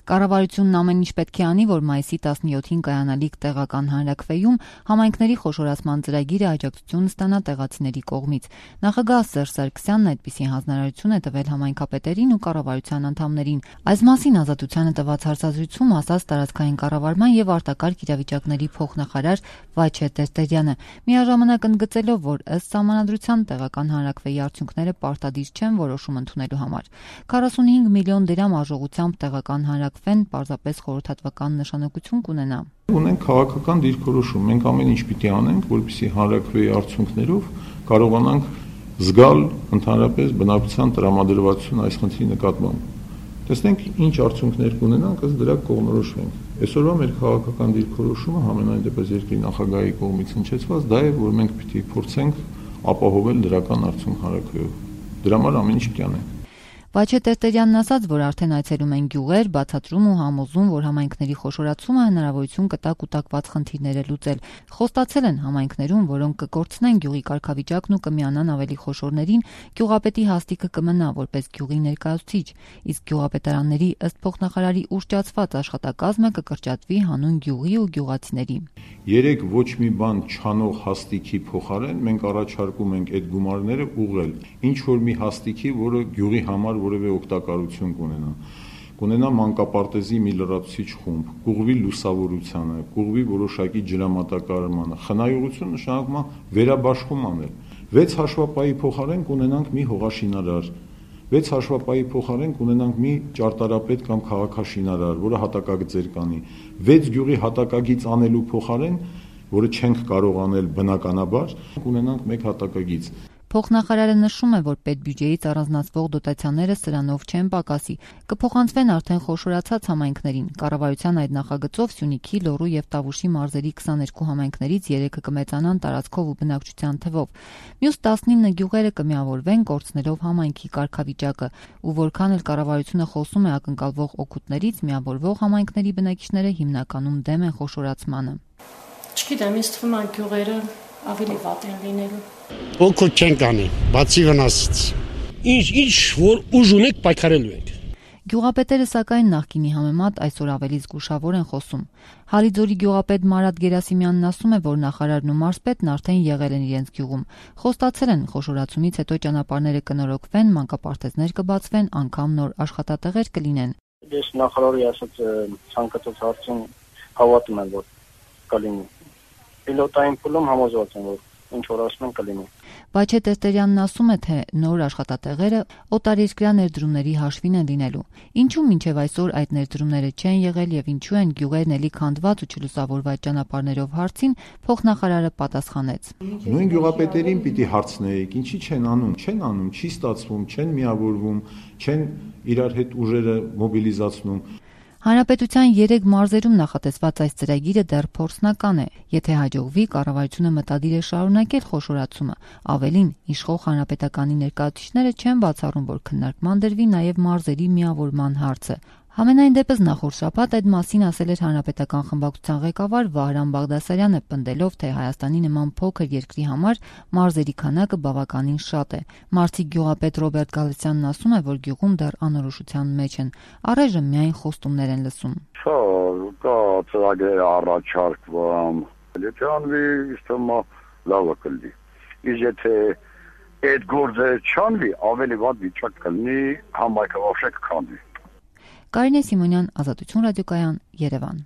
Կառավարությունն ամեն ինչ պետք է անի, որ մայիսի 17-ին կայանալիք տեղական հանրաքվեում համայնքների խոշորացման ծրագիրը աջակցություն ստանա տեղացիների կողմից։ Նախագահ Սերժ Սարգսյանն այդպիսի հանձնարարություն է տվել համայնքապետերին ու կառավարության անդամներին։ Այս մասին Ազատությանը տված հարցազրույցում ասաց տարածքային կառավարման եւ արտակարգ իրավիճակների փոխնախարար Վաչե Տերտերյանը, միաժամանակ ընդգծելով, որ ըստ սահմանադրության տեղական հանրաքվեի արդյունքները պարտադիր չեն որոշում ընդունելու համար։ 45 միլիոն դրամ արժողությամբ տեղական հանրաքվեն պարզապես խորհրդատվական նշանակություն կունենա։ Ունենք քաղաքական դիրքորոշում, մենք ամեն ինչ պիտի անենք, որպեսզի հանրաքվեի արդյունքներով կարողանանք զգալ ընդհանրապես բնակչության տրամադրվածություն այս խնդրի նկատմամբ։ Տեսնենք ինչ արդյունքներ կունենանք, ըստ դրա կողմնորոշվենք։ Այսօրվա մեր քաղաքական դիրքորոշումը համենայն դեպս երկրի նախագահի կողմից հնչեցված դա է, որ մենք պիտի փորձենք ապահովել դրական արդյունք հանրաքվեով։ Դրա համար ամեն ինչ պիտի անենք։ Վաչե Տերտերյանն ասաց, որ արդեն այցելում են գյուղեր, բացատրում ու համոզում, որ համայնքների խոշորացումը հնարավորություն կտա կուտակված խնդիրները լուծել։ Խոստացել են համայնքներում, որոնք կկորցնեն գյուղի կարգավիճակն ու կմիանան ավելի խոշորներին, գյուղապետի հաստիքը կմնա որպես գյուղի ներկայացուցիչ, իսկ գյուղապետարանների ըստ փոխնախարարի ուռճացված աշխատակազմը կկրճատվի հանուն գյուղի ու գյուղացիների։ Երեք ոչ մի բան չանող հաստիքի փոխարեն մենք առաջարկում ենք այդ գումարները ուղղել ինչ որ մի հաստիքի, որը գյուղի համար որևէ օգտակարություն կունենա մանկապարտեզի մի լրացուցիչ խումբ, կուղղվի լուսավորությանը, կուղղվի որոշակի ջրամատակարարմանը, խնայողություն նշանակում է վերաբաշխում անել։ 6 հաշվապայի փոխարեն կունենանք մի հողաշինարար, 6 հաշվապայի փոխարեն կունենանք մի ճարտարապետ կամ քաղաքաշինարար, որը հատակագծեր կանի, 6 գյուղի հատակագիծ անելու փոխարեն, որը չենք կարող անել բնականաբար, կունենանք 1 հատակագիծ։ Փոխնախարարը նշում է, որ պետբյուջեից առանձնացվող դոտացիաները սրանով չեն պակասի, կփոխանցվեն արդեն խոշորացած համայնքներին։ Կառավարության այդ նախագծով Սյունիքի, Լոռու եւ Տավուշի մարզերի 22 համայնքներից 3-ը կմեծանան տարածքով ու բնակչության թվով։ Մյուս 19 գյուղերը կմիավորվեն, կորցնելով համայնքի կարգավիճակը, ու որքան էլ կառավարությունը խոսում է ակնկալվող օգուտներից, միավորվող համայնքների բնակիչները հիմնականում դեմ են խոշորացմանը։ Չգիտեմ, ինձ թվում է գյուղերը ավելի վատ են լինելու։ Օգուտ չենք անի, բացի վնասից։ Ինչ որ ուժ ունենք պայքարելու ենք։ Գյուղապետերը սակայն նախկինի համեմատ այսօր ավելի զգուշավոր են խոսում։ Հալիձորի գյուղապետ Մարատ Գերասիմյանն ասում է, որ նախարարն ու մարզպետն արդեն եղել են իրենց գյուղում։ Խոստացել են խոշորացումից հետո ճանապարհները կնորոգվեն, մանկապարտեզներ կբացվեն, անգամ նոր աշխատատեղեր կլինեն։ Ես նախարարի ասած ցանկացած հարցին հավատում եմ, որ կլինի։ Պիլոտային փուլում համոզված եմ, որ ինչ որ ասում են կլինի։ Վաչե Տերտերյանն ասում է, թե նոր աշխատատեղերը օտարերկրյա ներդրումների հաշվին են լինելու։ Ինչու մինչև այսօր այդ ներդրումները չեն եղել եւ ինչու են գյուղերն էլի քանդված ու չլուսավորված ճանապարհներով հարցին փոխնախարարը պատասխանեց։ Նույն գյուղապետերին պիտի հարցնեիք, ինչի չեն անում, չի ստացվում, չեն միավորվում, չեն իրար հետ ուժերը մոբիլիզացնում։ Հանրապետության 3 մարզերում նախատեսված այս ծրագիրը դեռ փորձնական է։ Եթե հաջողվի, կառավարությունը մտադիր է շարունակել խոշորացումը։ Ավելին, իշխող հանրապետականի ներկայացուցիչները չեն բացառում, որ քննարկման դրվի նաև մարզերի միավորման հարցը։ Համենայն դեպս նախորդ շաբաթ այդ մասին ասել էր հանրապետական խմբակցության ղեկավար Վահրամ Բաղդասարյանը, պնդելով, թե Հայաստանի նման փոքր երկրի համար մարզերի քանակը բավականին շատ է։ Մարզիկ գյուղապետ Ռոբերտ Գալստյանն ասում է, որ գյուղում դեռ անորոշության մեջ են։ Առայժմ միայն խոստումներ են լսում։ Կա ծրագրեր առաջարկվում, եթե անվի, իստոմա լավը կլինի։ Իսկ եթե այդ գործերը չանվի, ավելի վատ վիճակ կլինի, համայնքը вообще կքանդվի։ Կարինե Սիմոնյան, Ազատություն ռադիոկայան, Երևան։